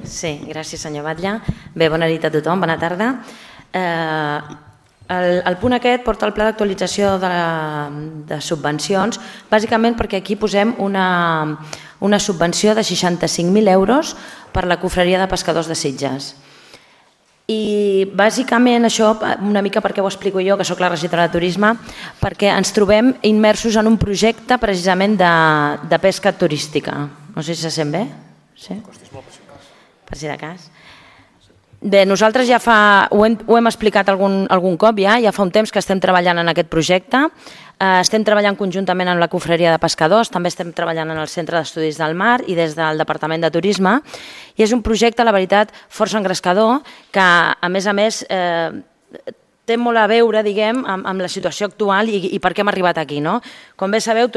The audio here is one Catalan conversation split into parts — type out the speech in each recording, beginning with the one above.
Sí, gràcies senyor Batlle. Bé, bona nit a tothom, bona tarda. El punt aquest porta el pla d'actualització de subvencions, bàsicament perquè aquí posem una subvenció de 65.000 euros per la confraria de pescadors de Sitges. I bàsicament això, una mica perquè ho explico jo, que sóc la regidora de turisme, perquè ens trobem immersos en un projecte precisament de pesca turística. No sé si se sent bé. Sí? Per si de cas. Bé, nosaltres ja ho hem explicat algun cop ja fa un temps que estem treballant en aquest projecte, estem treballant conjuntament amb la confraria de pescadors, també estem treballant en el Centre d'Estudis del Mar i des del Departament de Turisme, i és un projecte, la veritat, força engrescador, que a més té molt a veure, diguem, amb la situació actual i per què hem arribat aquí. Com bé sabeu,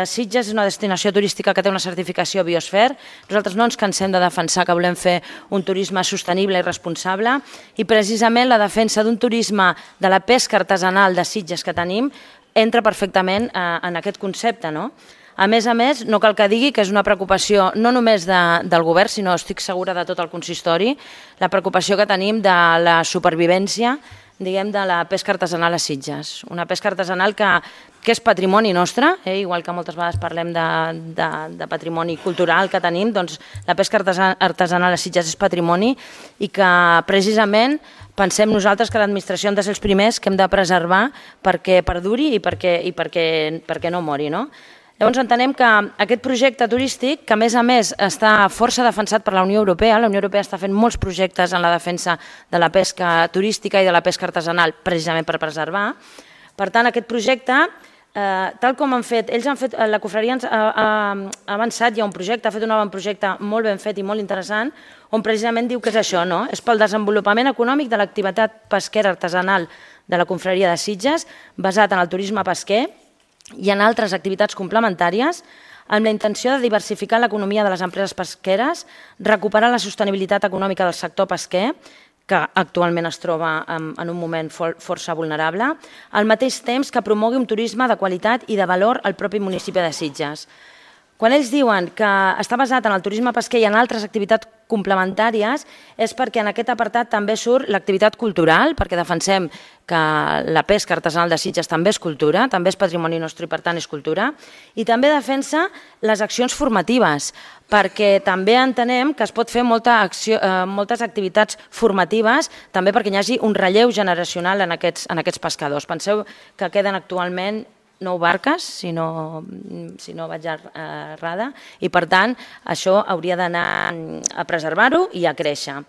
Sitges és una destinació turística que té una certificació Biosfer. Nosaltres no ens cansem de defensar que volem fer un turisme sostenible i responsable i precisament la defensa d'un turisme de la pesca artesanal de Sitges que tenim entra perfectament en aquest concepte. A més, no cal que digui que és una preocupació no només del govern, sinó estic segura de tot el consistori, la preocupació que tenim de la supervivència diguem, de la pesca artesanal a Sitges. Una pesca artesanal que és patrimoni nostre, igual que moltes vegades parlem de patrimoni cultural que tenim, doncs la pesca artesanal a Sitges és patrimoni i que precisament pensem nosaltres que l'administració hem de ser els primers que hem de preservar perquè perduri i perquè no mori. Llavors entenem que aquest projecte turístic, que a més està força defensat per la Unió Europea està fent molts projectes en la defensa de la pesca turística i de la pesca artesanal precisament per preservar. Per tant, aquest projecte, tal com han fet, la confraria ha avançat, hi ha un projecte, ha fet un avantprojecte molt ben fet i molt interessant, on precisament diu que és això, és pel desenvolupament econòmic de l'activitat pesquera artesanal de la confraria de Sitges, basat en el turisme pesquer, i en altres activitats complementàries, amb la intenció de diversificar l'economia de les empreses pesqueres, recuperar la sostenibilitat econòmica del sector pesquer, que actualment es troba en un moment força vulnerable, al mateix temps que promogui un turisme de qualitat i de valor al propi municipi de Sitges. Quan ells diuen que està basat en el turisme pesquer i en altres activitats complementàries és perquè en aquest apartat també surt l'activitat cultural, perquè defensem que la pesca artesanal de Sitges també és cultura, també és patrimoni nostre i per tant és cultura, i també defensa les accions formatives, perquè també entenem que es pot fer moltes activitats formatives, també perquè hi hagi un relleu generacional en aquests pescadors. Penseu que queden actualment 9 barques, si no vaig errada, i per tant això hauria d'anar a preservar-ho i a créixer.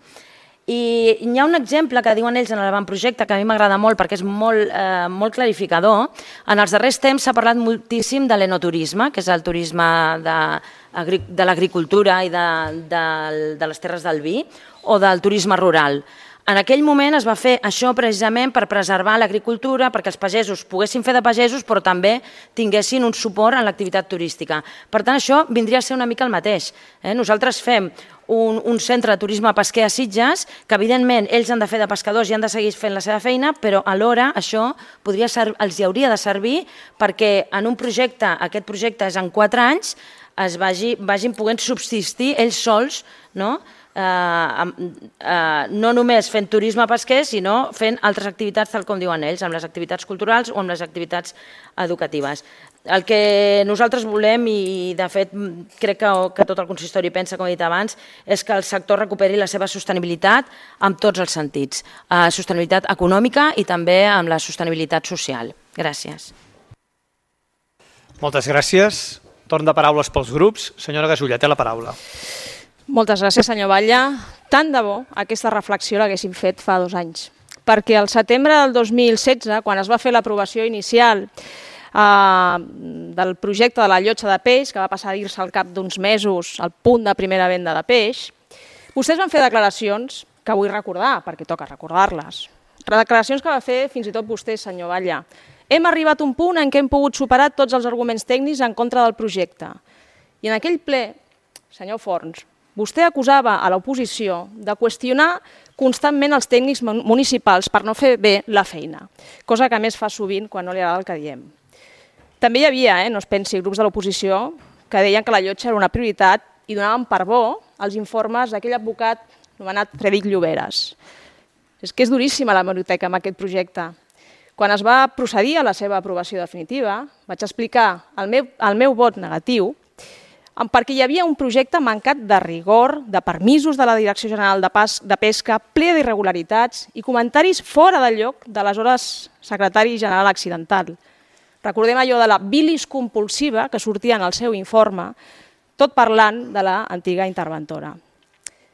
I hi ha un exemple que diuen ells en l'avantprojecte que a mi m'agrada molt perquè és molt clarificador. En els darrers temps s'ha parlat moltíssim de l'enoturisme, que és el turisme de l'agricultura i de les terres del vi, o del turisme rural. En aquell moment es va fer això precisament per preservar l'agricultura, perquè els pagesos poguessin fer de pagesos, però també tinguessin un suport en l'activitat turística. Per tant, això vindria a ser una mica el mateix. Nosaltres fem un centre de turisme pesquer a Sitges, que evidentment ells han de fer de pescadors i han de seguir fent la seva feina, però alhora això els hauria de servir perquè en un projecte, aquest projecte és en 4 anys, es vagin podent subsistir ells sols, no només fent turisme pesquer, sinó fent altres activitats, tal com diuen ells, amb les activitats culturals o amb les activitats educatives. El que nosaltres volem, i de fet crec que tot el consistori pensa, com he dit abans, és que el sector recuperi la seva sostenibilitat en tots els sentits, sostenibilitat econòmica i també amb la sostenibilitat social. Gràcies. Moltes gràcies. Torn de paraules pels grups. Senyora Gasulla, té la paraula. Moltes gràcies, senyor Batlle. Tant de bo aquesta reflexió l'haguéssim fet fa 2 anys, perquè al setembre del 2016, quan es va fer l'aprovació inicial del projecte de la llotja de peix, que va passar a dir-se al cap d'uns mesos al punt de primera venda de peix, vostès van fer declaracions que vull recordar, perquè toca recordar-les. Declaracions que va fer fins i tot vostè, senyor Batlle. Hem arribat a un punt en què hem pogut superar tots els arguments tècnics en contra del projecte. I en aquell ple, senyor Forns, vostè acusava a l'oposició de qüestionar constantment els tècnics municipals per no fer bé la feina, cosa que a més fa sovint quan no li agrada el que diem. També hi havia, no es pensi, grups de l'oposició que deien que la llotja era una prioritat i donaven per bo els informes d'aquell advocat anomenat Frederic Lloberes. És que és duríssima l'hemeroteca amb aquest projecte. Quan es va procedir a la seva aprovació definitiva, vaig explicar el meu vot negatiu perquè hi havia un projecte mancat de rigor, de permisos de la Direcció General de Pesca, ple d'irregularitats i comentaris fora del lloc de l'aleshores secretari general accidental. Recordem allò de la bilis compulsiva que sortia en el seu informe, tot parlant de l'antiga interventora.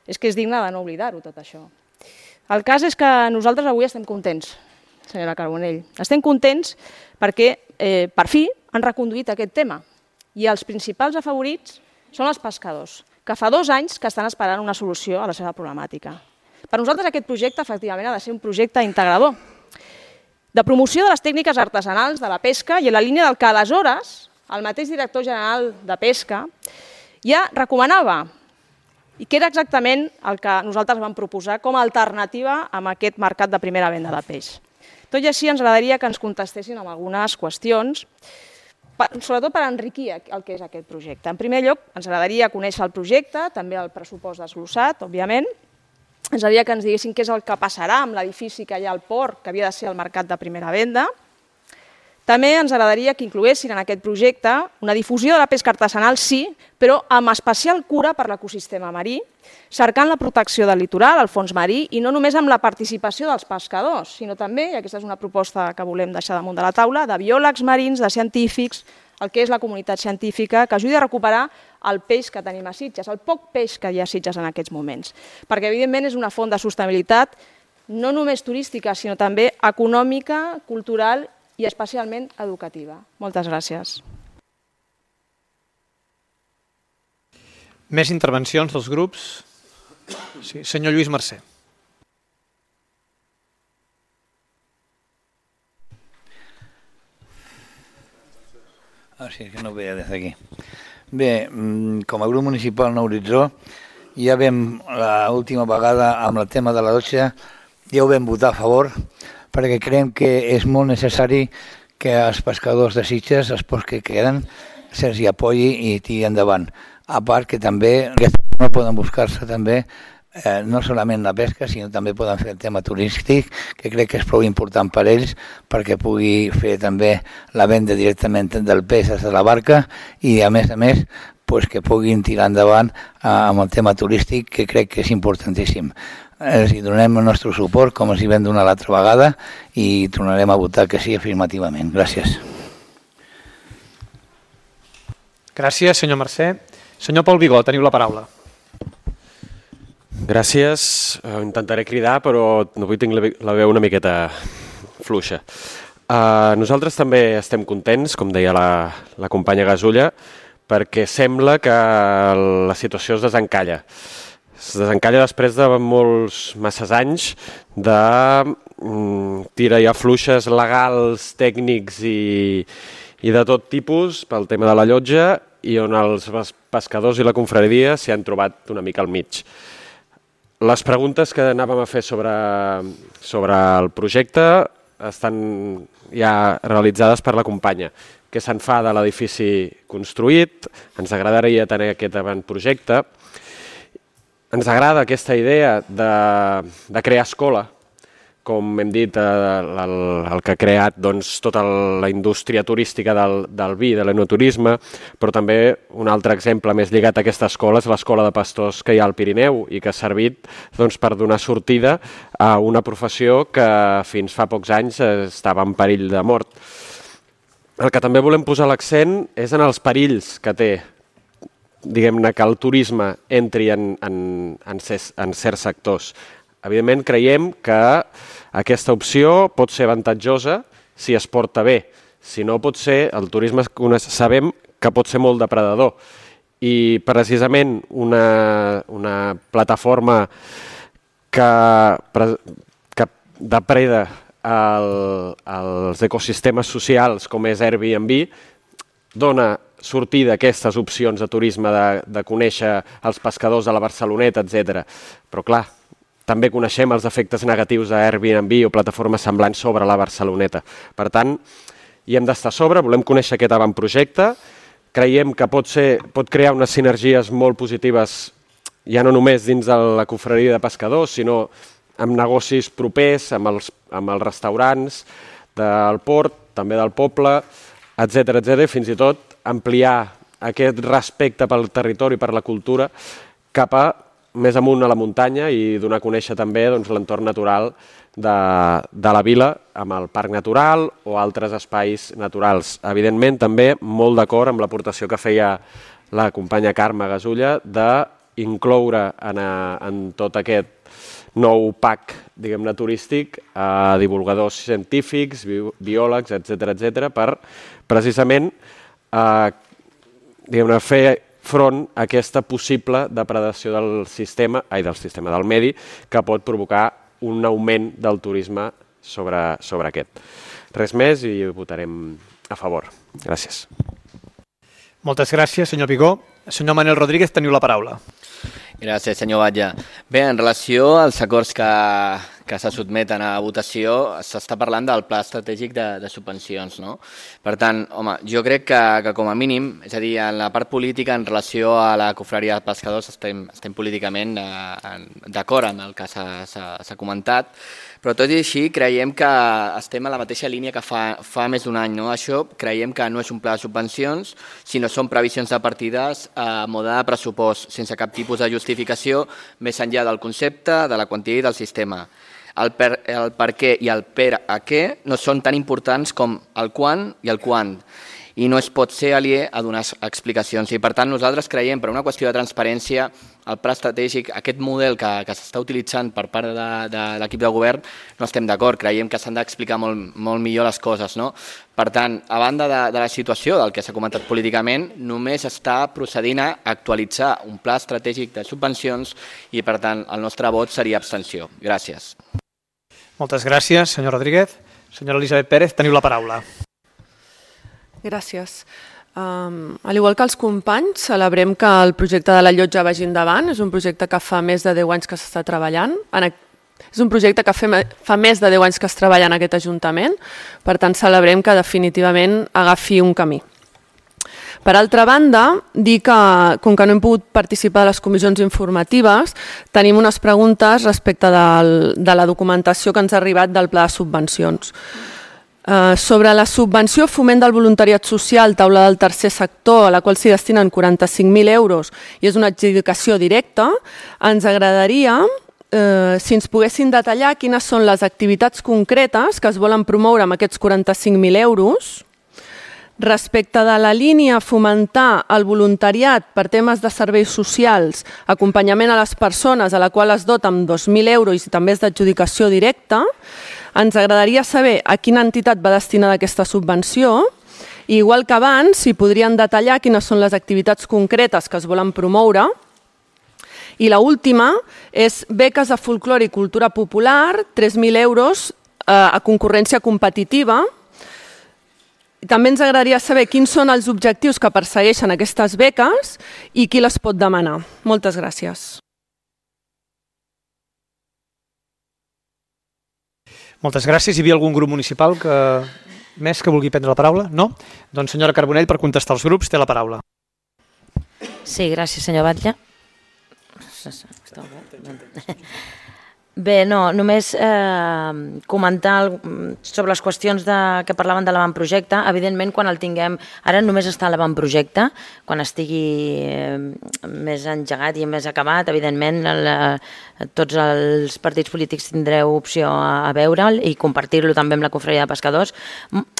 És que és digne de no oblidar-ho, tot això. El cas és que nosaltres avui estem contents, senyora Carbonell. Estem contents perquè, per fi, han reconduït aquest tema. I els principals afavorits són els pescadors, que fa 2 anys que estan esperant una solució a la seva problemàtica. Per nosaltres aquest projecte, efectivament, ha de ser un projecte integrador, de promoció de les tècniques artesanals de la pesca i en la línia del que aleshores el mateix director general de Pesca ja recomanava i que era exactament el que nosaltres vam proposar com a alternativa a aquest mercat de primera venda de peix. Tot i així, ens agradaria que ens contestessin amb algunes qüestions, sobretot per enriquir el que és aquest projecte. En primer lloc, ens agradaria conèixer el projecte, també el pressupost desglossat, òbviament. Ens agradaria que ens diguessin què és el que passarà amb l'edifici que hi ha al port, que havia de ser el mercat de primera venda. També ens agradaria que incloguessin en aquest projecte una difusió de la pesca artesanal, sí, però amb especial cura per l'ecosistema marí, cercant la protecció del litoral, el fons marí, i no només amb la participació dels pescadors, sinó també, i aquesta és una proposta que volem deixar damunt de la taula, de biòlegs marins, de científics, el que és la comunitat científica, que ajudi a recuperar el peix que tenim a Sitges, el poc peix que hi ha a Sitges en aquests moments. Perquè, evidentment, és una font de sostenibilitat no només turística, sinó també econòmica, cultural i especialment educativa. Moltes gràcies. Més intervencions dels grups? Sí, senyor Lluís Mercè. Sí, que no ho veia des d'aquí. Bé, com a grup municipal Nou Horitzó, ja vam l'última vegada amb el tema de la dotxa, ja ho vam votar a favor, perquè creiem que és molt necessari que els pescadors de Sitges, els pocs que queden, se'ls hi apoyi i tiri endavant. A part que també no poden buscar-se també no solament la pesca, sinó també poden fer el tema turístic, que crec que és prou important per ells, perquè pugui fer també la venda directament del peix des de la barca i, a més, que puguin tirar endavant amb el tema turístic, que crec que és importantíssim. Els hi donem el nostre suport, com els hi vam donar l'altra vegada, i tornarem a votar que sí afirmativament. Gràcies. Gràcies, senyor Mercè. Senyor Pol Vigó, teniu la paraula. Gràcies. Intentaré cridar, però avui tinc la veu una miqueta fluixa. Nosaltres també estem contents, com deia la companya Gasulla, perquè sembla que la situació es desencalla. Es desencalla després de masses anys de tira i afluixes legals, tècnics i de tot tipus pel tema de la llotja i on els pescadors i la confraria s'hi han trobat una mica al mig. Les preguntes que anàvem a fer sobre el projecte estan ja realitzades per la companya. Què se'n fa de l'edifici construït? Ens agradaria tenir aquest avantprojecte. Ens agrada aquesta idea de crear escola, com hem dit, el que ha creat tota la indústria turística del vi, de l'enoturisme, però també un altre exemple més lligat a aquesta escola és l'escola de pastors que hi ha al Pirineu i que ha servit per donar sortida a una professió que fins fa pocs anys estava en perill de mort. El que també volem posar l'accent és en els perills que té, diguem-ne, que el turisme entri en certs sectors. Evidentment, creiem que aquesta opció pot ser avantatjosa si es porta bé. Si no, pot ser, el turisme sabem que pot ser molt depredador. I precisament una plataforma que depreda els ecosistemes socials com és Airbnb dona sortir d'aquestes opcions de turisme, de conèixer els pescadors de la Barceloneta, etc. Però clar, també coneixem els efectes negatius d'Airbnb o plataformes semblants sobre la Barceloneta. Per tant, hi hem d'estar a sobre, volem conèixer aquest avantprojecte, creiem que pot crear unes sinergies molt positives ja no només dins de la confraria de pescadors, sinó amb negocis propers, amb els restaurants del port, també del poble, etc, i fins i tot ampliar aquest respecte pel territori i per la cultura cap a més amunt a la muntanya i donar a conèixer també l'entorn natural de la vila amb el parc natural o altres espais naturals. Evidentment, també molt d'acord amb l'aportació que feia la companya Carme Gasulla d'incloure en tot aquest nou pack, diguem-ne, turístic a divulgadors científics, biòlegs, etc, per precisament fer front a aquesta possible depredació del medi que pot provocar un augment del turisme sobre aquest. Res més i ho votarem a favor. Gràcies. Moltes gràcies, senyor Vigó. Senyor Manel Rodríguez, teniu la paraula. Gràcies, senyor Batlle. Bé, en relació als acords que se sotmeten a votació, s'està parlant del pla estratègic de subvencions, no? Per tant, home, jo crec que com a mínim, és a dir, en la part política, en relació a la confraria de pescadors, estem políticament d'acord amb el que s'ha comentat, però tot i així creiem que estem a la mateixa línia que fa més d'un any, no? Això creiem que no és un pla de subvencions, sinó són previsions de partides a mode de pressupost, sense cap tipus de justificació, més enllà del concepte, de la quantia i del sistema. El per què i el per a què no són tan importants com el quan i el quant, i no es pot ser aliè a donar explicacions. I per tant nosaltres creiem, per una qüestió de transparència, el pla estratègic, aquest model que s'està utilitzant per part de l'equip de govern, no estem d'acord, creiem que s'han d'explicar molt millor les coses, no? Per tant, a banda de la situació del que s'ha comentat políticament, només està procedint a actualitzar un pla estratègic de subvencions i per tant el nostre vot seria abstenció. Gràcies. Moltes gràcies, senyor Rodríguez. Senyora Elisabet Pérez, teniu la paraula. Gràcies. Al igual que els companys, celebrem que el projecte de la llotja vagi endavant. És un projecte que fa més de 10 anys que s'està treballant. És un projecte que fa més de 10 anys que es treballa en aquest Ajuntament. Per tant, celebrem que definitivament agafi un camí. Per altra banda, dir que, com que no hem pogut participar de les comissions informatives, tenim unes preguntes respecte de la documentació que ens ha arribat del pla de subvencions. Sobre la subvenció Foment del Voluntariat Social, taula del tercer sector, a la qual s'hi destinen 45.000 euros i és una adjudicació directa, ens agradaria, si ens poguessin detallar quines són les activitats concretes que es volen promoure amb aquests 45.000 euros, respecte de la línia fomentar el voluntariat per temes de serveis socials, acompanyament a les persones a la qual es dota amb 2.000 euros i també és d'adjudicació directa, ens agradaria saber a quina entitat va destinada aquesta subvenció i, igual que abans, si podrien detallar quines són les activitats concretes que es volen promoure. I l'última és beques de folklore i cultura popular, 3.000 euros a concurrència competitiva. També ens agradaria saber quins són els objectius que persegueixen aquestes beques i qui les pot demanar. Moltes gràcies. Moltes gràcies. Hi havia algun grup municipal més que vulgui prendre la paraula? No? Doncs senyora Carbonell, per contestar els grups, té la paraula. Sí, gràcies, senyor Batlle. Bé, no, només comentar sobre les qüestions que parlaven de l'avantprojecte. Evidentment, quan el tinguem, ara només està a l'avantprojecte, quan estigui més engegat i més acabat, evidentment tots els partits polítics tindreu opció a veure'l i compartir-lo també amb la confraria de pescadors.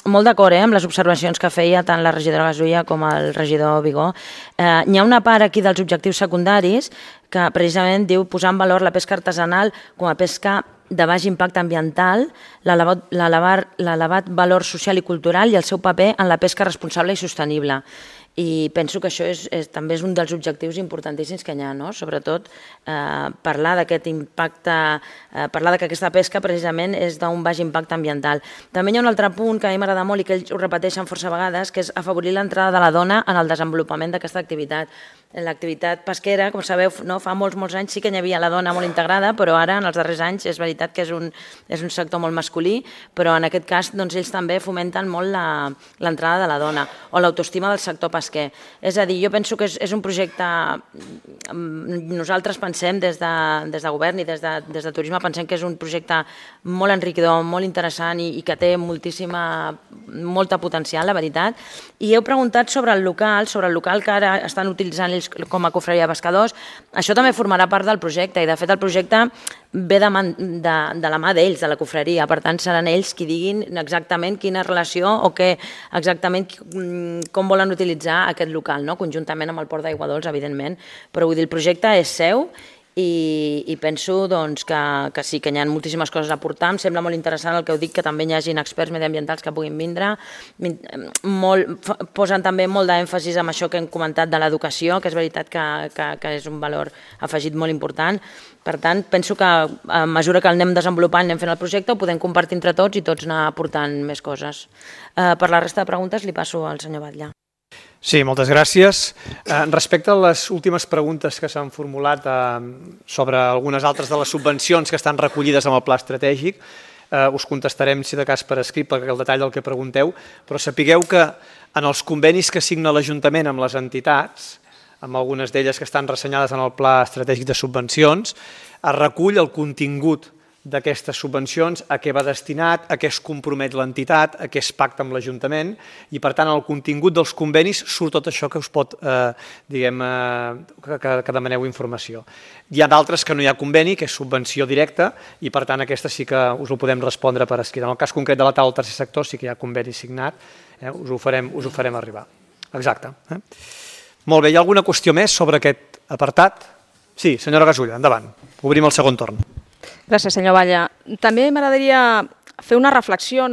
Molt d'acord amb les observacions que feia tant la regidora Gasulla com el regidor Vigó. N'hi ha una part aquí dels objectius secundaris que precisament diu posar en valor la pesca artesanal com a pesca de baix impacte ambiental, l'elevat valor social i cultural i el seu paper en la pesca responsable i sostenible. I penso que això també és un dels objectius importantíssims que hi ha, no? Sobretot parlar d'aquest impacte, parlar que aquesta pesca precisament és d'un baix impacte ambiental. També hi ha un altre punt que a mi m'agrada molt i que ells ho repeteixen força vegades, que és afavorir l'entrada de la dona en el desenvolupament d'aquesta activitat. l'activitat pesquera, com sabeu, fa molts anys sí que hi havia la dona molt integrada, però ara, en els darrers anys, és veritat que és un sector molt masculí, però en aquest cas ells també fomenten molt l'entrada de la dona o l'autoestima del sector pesquer. És a dir, jo penso que és un projecte, nosaltres pensem des de govern i des de turisme, pensem que és un projecte molt enriquidor, molt interessant i que té molta potencial, la veritat. I heu preguntat sobre el local que ara estan utilitzant ells com a cofreria de pescadors. Això també formarà part del projecte i de fet el projecte ve de la mà d'ells, de la cofreria. Per tant, seran ells qui diguin exactament quina relació o exactament com volen utilitzar aquest local, conjuntament amb el Port d'Aigua Dols, evidentment. Però vull dir, el projecte és seu i penso que sí, que hi ha moltíssimes coses a aportar. Em sembla molt interessant el que heu dit, que també hi hagin experts mediambientals que puguin vindre. Posen també molt d'èmfasis en això que hem comentat de l'educació, que és veritat que és un valor afegit molt important. Per tant, penso que a mesura que el anem desenvolupant, anem fent el projecte, ho podem compartir entre tots i tots anar aportant més coses. Per la resta de preguntes li passo al senyor Batlle. Sí, moltes gràcies. Respecte a les últimes preguntes que s'han formulat sobre algunes altres de les subvencions que estan recollides en el pla estratègic, us contestarem, si de cas, per escrit, perquè el detall del que pregunteu, però sapigueu que en els convenis que signa l'Ajuntament amb les entitats, amb algunes d'elles que estan ressenyades en el pla estratègic de subvencions, es recull el contingut d'aquestes subvencions, a què va destinat, a què es compromet l'entitat, a què es pacta amb l'Ajuntament i, per tant, en el contingut dels convenis surt tot això que us pot, diguem, que demaneu informació. Hi ha d'altres que no hi ha conveni, que és subvenció directa i, per tant, aquesta sí que us ho podem respondre per escrit. En el cas concret de la taula del tercer sector sí que hi ha conveni signat, us ho farem arribar. Exacte. Molt bé, hi ha alguna qüestió més sobre aquest apartat? Sí, senyora Gasulla, endavant. Obrim el segon torn. Gràcies, senyor Batlle. També m'agradaria fer una reflexió,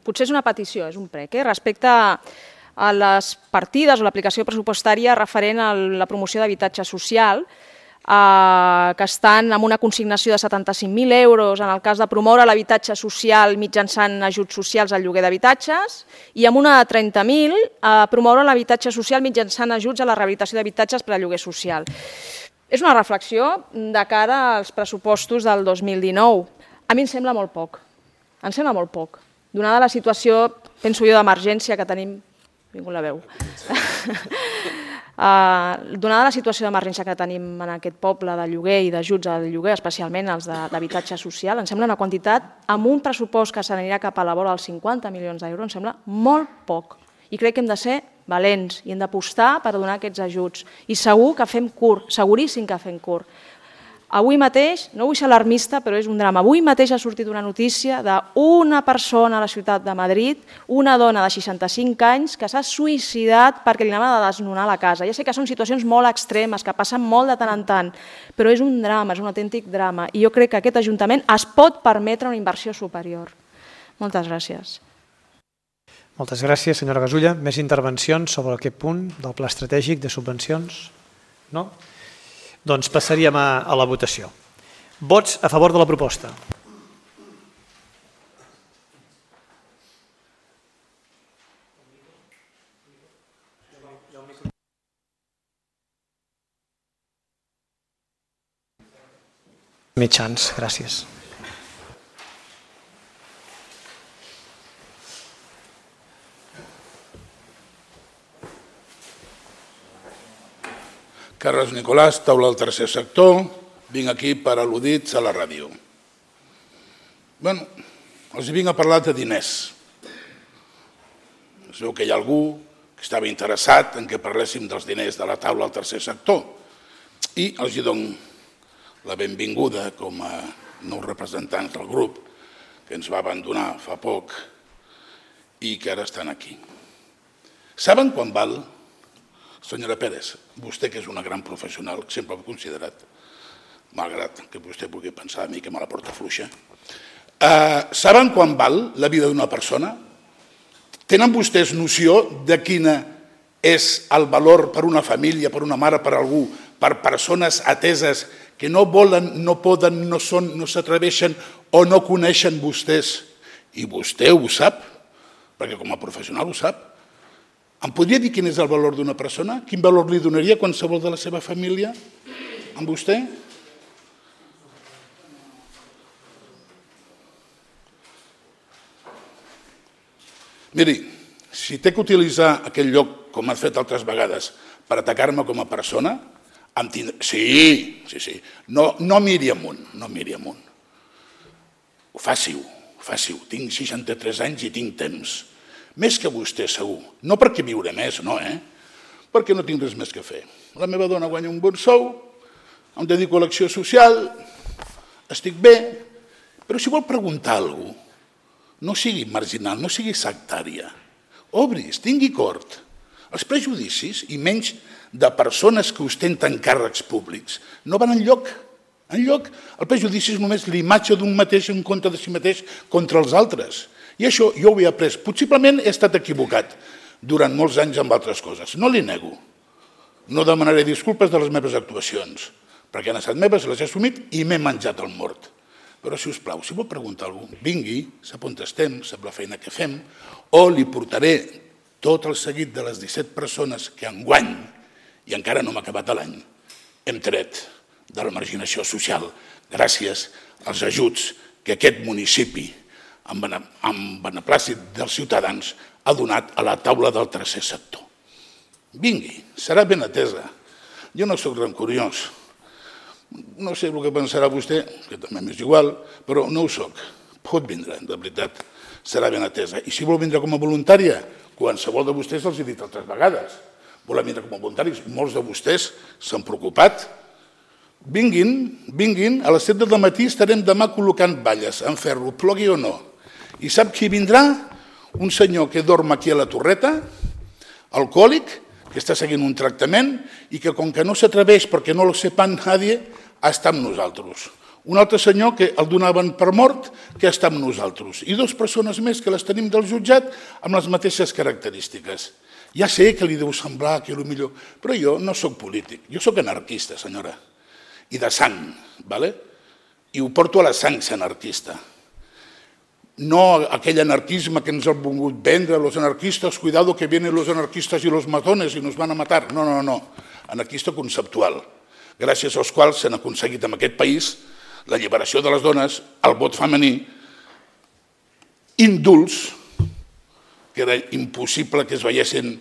potser és una petició, és un prec, respecte a les partides o l'aplicació pressupostària referent a la promoció d'habitatge social, que estan amb una consignació de 75.000 euros en el cas de promoure l'habitatge social mitjançant ajuts socials al lloguer d'habitatges i amb una de 30.000 promoure l'habitatge social mitjançant ajuts a la rehabilitació d'habitatges per a lloguer social. És una reflexió de cara als pressupostos del 2019. A mi em sembla molt poc. Em sembla molt poc. Donada la situació, penso jo, d'emergència que tenim... Vingut la veu. Donada la situació d'emergència que tenim en aquest poble de lloguer i d'ajuts al lloguer, especialment els d'habitatge social, em sembla una quantitat, amb un pressupost que s'anirà cap a la vora dels 50 milions d'euros, em sembla molt poc. I crec que hem de ser valents i hem d'apostar per donar aquests ajuts. I segur que fem curt, seguríssim que fem curt. Avui mateix, no vull ser alarmista, però és un drama, avui mateix ha sortit una notícia d'una persona a la ciutat de Madrid, una dona de 65 anys, que s'ha suïcidat perquè li anava de desnonar la casa. Ja sé que són situacions molt extremes, que passen molt de tant en tant, però és un drama, és un autèntic drama. I jo crec que aquest Ajuntament es pot permetre una inversió superior. Moltes gràcies. Moltes gràcies, senyora Gasulla. Més intervencions sobre aquest punt del pla estratègic de subvencions? No? Doncs passaríem a la votació. Vots a favor de la proposta. Mitjans, gràcies. Carles Nicolàs, taula del tercer sector, vinc aquí per al·ludits a la ràdio. Bé, els vinc a parlar de diners. Es veu que hi ha algú que estava interessat en que parléssim dels diners de la taula del tercer sector i els dono la benvinguda com a nous representants del grup que ens va abandonar fa poc i que ara estan aquí. Saben quan val? Senyora Pérez, vostè que és una gran professional, sempre ho he considerat, malgrat que vostè pugui pensar a mi que me la porta fluixa, saben quan val la vida d'una persona? Tenen vostès noció de quina és el valor per una família, per una mare, per algú, per persones ateses que no volen, no poden, no són, no s'atreveixen o no coneixen vostès? I vostè ho sap, perquè com a professional ho sap. Em podria dir quin és el valor d'una persona? Quin valor li donaria qualsevol de la seva família amb vostè? Miri, si té que utilitzar aquell lloc, com has fet altres vegades, per atacar-me com a persona, sí. No miri amunt, no miri amunt. Faci-ho. Tinc 63 anys i tinc temps. Més que vostè, segur. No perquè viuré més, no, perquè no tinc res més que fer. La meva dona guanya un bon sou, em dedico a l'acció social, estic bé, però si vol preguntar alguna cosa, no sigui marginal, no sigui sectària. Obris, tingui cort. Els prejudicis, i menys de persones que ostenten càrrecs públics, no van enlloc. El prejudici és només l'imatge d'un mateix en contra de si mateix contra els altres. I això jo ho he après. Possiblement he estat equivocat durant molts anys amb altres coses. No li nego. No demanaré disculpes de les meves actuacions, perquè han estat meves, les he assumit i m'he menjat el mort. Però, si us plau, si vol preguntar alguna cosa, vingui, sap on estem, sap la feina que fem, o li portaré tot el seguit de les 17 persones que enguany, i encara no m'ha acabat l'any, hem tret de la marginació social gràcies als ajuts que aquest municipi, amb beneplàcit dels ciutadans, ha donat a la taula del tercer sector. Vingui, serà ben atesa. Jo no soc rancoriós. No sé el que pensarà vostè, que també m'és igual, però no ho soc. Pot vindre, de veritat, serà ben atesa. I si vol vindre com a voluntària, qualsevol de vostès els he dit altres vegades. Volen vindre com a voluntaris, molts de vostès s'han preocupat. Vinguin, a les 7 del matí estarem demà col·locant valles en ferro, plogui o no. I sap qui vindrà? Un senyor que dorm aquí a la Torreta, alcohòlic, que està seguint un tractament i que, com que no s'atreveix perquè no lo sepan nadie, està amb nosaltres. Un altre senyor que el donaven per mort, que està amb nosaltres. I 2 persones més que les tenim del jutjat amb les mateixes característiques. Ja sé que li deu semblar que és el millor, però jo no soc polític, jo soc anarquista, senyora, i de sang, i ho porto a la sang, ser anarquista. No aquell anarquisme que ens han volgut vendre los anarquistas, cuidado que vienen los anarquistas y los matones y nos van a matar. No. Anarquista conceptual, gràcies als quals s'han aconseguit en aquest país la lliberació de les dones, el vot femení, indults, que era impossible que es veiessin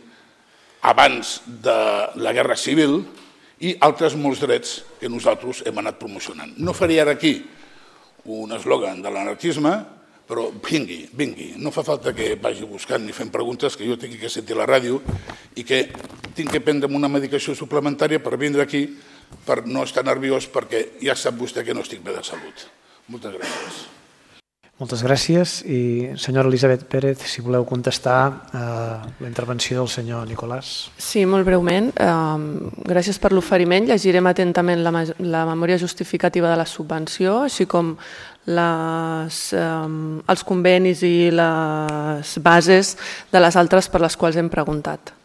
abans de la Guerra Civil, i altres molts drets que nosaltres hem anat promocionant. No faré ara aquí un eslògan de l'anarquisme, però vingui. No fa falta que vagi buscant ni fent preguntes, que jo tinc que sentir la ràdio i que tinc que prendre una medicació suplementària per vindre aquí, per no estar nerviós, perquè ja sap vostè que no estic bé de salut. Moltes gràcies. Moltes gràcies. I senyora Elisabet Pérez, si voleu contestar la intervenció del senyor Nicolàs. Sí, molt breument. Gràcies per l'oferiment. Llegirem atentament la memòria justificativa de la subvenció, així com els convenis i les bases de les altres per les quals hem preguntat.